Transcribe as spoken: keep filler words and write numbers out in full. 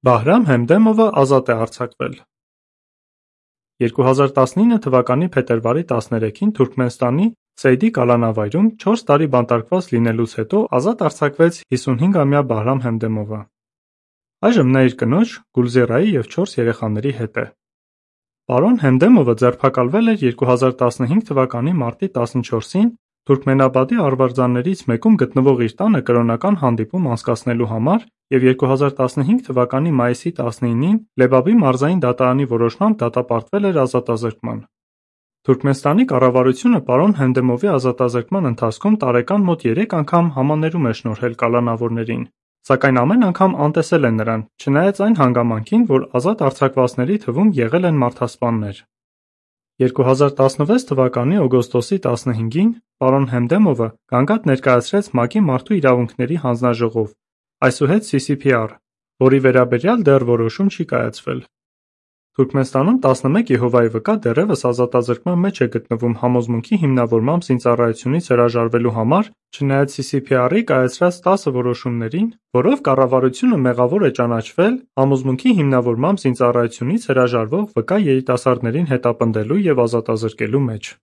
Բահրամ Հեմդեմովը ազատ է արձակվել։ երկու հազար տասնինը թվականի փետրվարի տասներեքին Թուրքմենստանի Սեյդի կալանավայրում չորս տարի բանտարկված լինելուց հետո ազատ արձակվեց հիսունհինգամյա Բահրամ Հեմդեմովը։ Այժմ նա իր կնոջ Գուլզիրայի և չորս երեխաների հետ է։ Պարոն Հեմդեմովը ձերբակալվել էր երկու հազար տասնհինգ թվականի մարտի տասնչորսին Թուրքմենաբադի արվարձաններից մեկում գտնվող իր տանը կրոնական հանդիպում անցկացնելու համար և երկու հազար տասնհինգ թվականի մայիսի տասնինին Լեբաբի մարզային դատարանի որոշմամբ դատապարտվել էր ազատազրկման։ Թուրքմենստանի կառավարությունը պարոն Հեմդեմովի ազատազրկման ընթացքում տարեկան մոտ երեք անգամ համաներում է շնորհել կալանավորներին, սակայն ամեն անգամ անտեսել է նրան, չնայած այն հանգամանքին, որ ազատ արձակվածների թվում եղել են մարդասպաններ։ երկու հազար տասնվեց թվականի օգոստոսի տասնհինգին պարոն Հեմդեմովը գանգատ ներկայացրեց ՄԱԿ-ի Մարդու իրավունքների հանձնաժողով, այսուհետ սի սի փի ար, որի վերաբերյալ դեռ որոշում չի կայացվել։ Թուրքմենստանում տասնմեկ Եհովայի վկա դեռևս ազատազրկման մեջ է գտնվում համոզմունքի հիմնավորմամբ զինծառայությունից հրաժարվելու համար, չնայած սի սի փի ար-ի կայացրած տասը որոշումներին, որով կառավարությունը մեղավոր է ճանաչվել համոզմունքի հիմնավորմամբ զինծառայությունից հրաժարվող վկա երիտասարդներին հետապնդելու և ազատազրկելու մեջ։